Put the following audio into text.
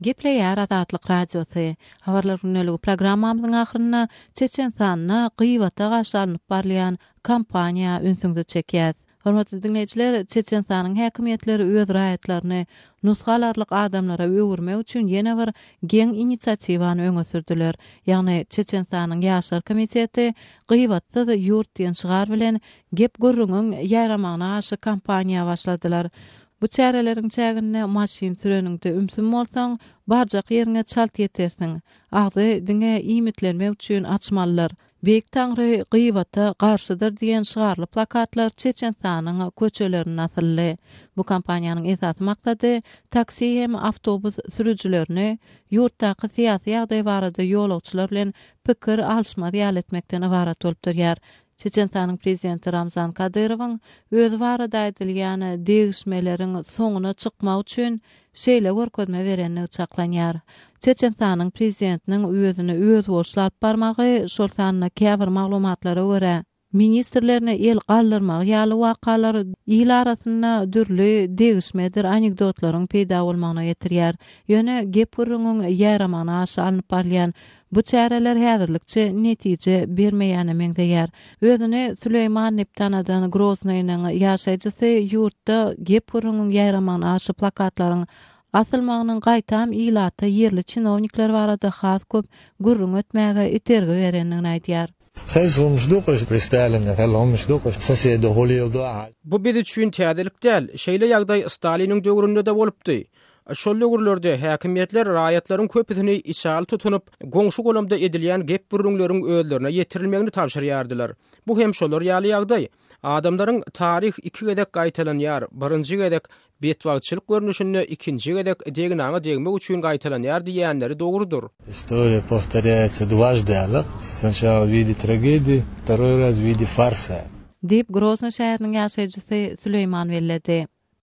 Gepleýär Azatlyk Radiosy. Habarlar gündeligi programmamyzyň ahyrynda Çeçenistanda gybata garşy alnyp barylýan kampaniýa ünsüňizi çekýäs. Hormatly diňleýjiler, Çeçenistanyň häkimiýetleri öz raýatlaryny nusga alarlyk adamlara öwürmek üçin ýene bir geň inisiatiwany öňe sürdüler. Ýagny Çeçenistanyň Ýaşlar komiteti Gybatsyz ýurt diýen şygar bilen gep-gürrüňiň ýaýramagyna garşy kampaniýa başladylar. Bu çäreleriň çäginde maşyn süreniňde ümsüm bolsaň, barjak ýeriňe çalt ýetersiň. Agzy diňe iýmitlenmek üçin açmalydyr. Beýik Taňry gybata garşydyr diýen şygarly plakatlar Çeçenistanyň köçelerinde asyldy. Bu kampaniýanyň esasy maksady taksi hem awtobus sürüjilerini ýurtdaky syýasy ýagdaý barada ýolagçylar bilen pikir alyşmaz ýaly etmekden ybarat bolup durýar. Çeçenistanyň prezidenti Ramzan Kadyrowyň özi barada aýdylýan degişmeleriň soňuna çykmak üçin şeýle görkezme berendigi çaklanýar. Çeçenistanyň prezidentiniň özüni özboluşly alyp barmagy, şol sanda käbir maglumatlara görä, ministrlerine el galdyrmagy ýaly wakalar il arasynda dürli degişmedir anekdotlaryň peýda bolmagyna getirýär. Ýöne gep-gürrüňiň ýaýramagyna garşy alnyp barylýan Bu çäreler häzirlikçe netije bermeýäne meňzeýär. Özüni Süleýman diýip tanadan Groznynyň ýaşaýjysy ýurtda gep-gürrüňiň ýaýramagyna garşy plakatlaryň asylmagynyň gaýtam ilata ýerli çinownikler barada has köp gürrüň etmäge itergi berendigini aýdýar. Bu biz üçin täzelik däl. Şeýle ýagdaý Staliniň döwründe-de bolupdy. Şol döwürlerde häkimiýetler raýatlaryň köpüsini içaly tutunyp, goňşy-golamda edilýän gep-gürrüňleriň özlerine ýetirilmegini tabşyrýardylar. Bu hem şolar ýaly ýagdaý. Adamlaryň Taryh iki gezek gaýtalanýar, birinji gezek betbagtçylyk görnüşinde, ikinji gezek degnaňa degmek üçin gaýtalanýar diýýänleri dogrudyr. Istoriýa powtorýaýatsa dwaždy alyk, snaçala w wide tragediýi, wtoroý raz w wide farsa. Diýip, Groznyý şäheriniň ýaşaýjysy Süleýman belledi.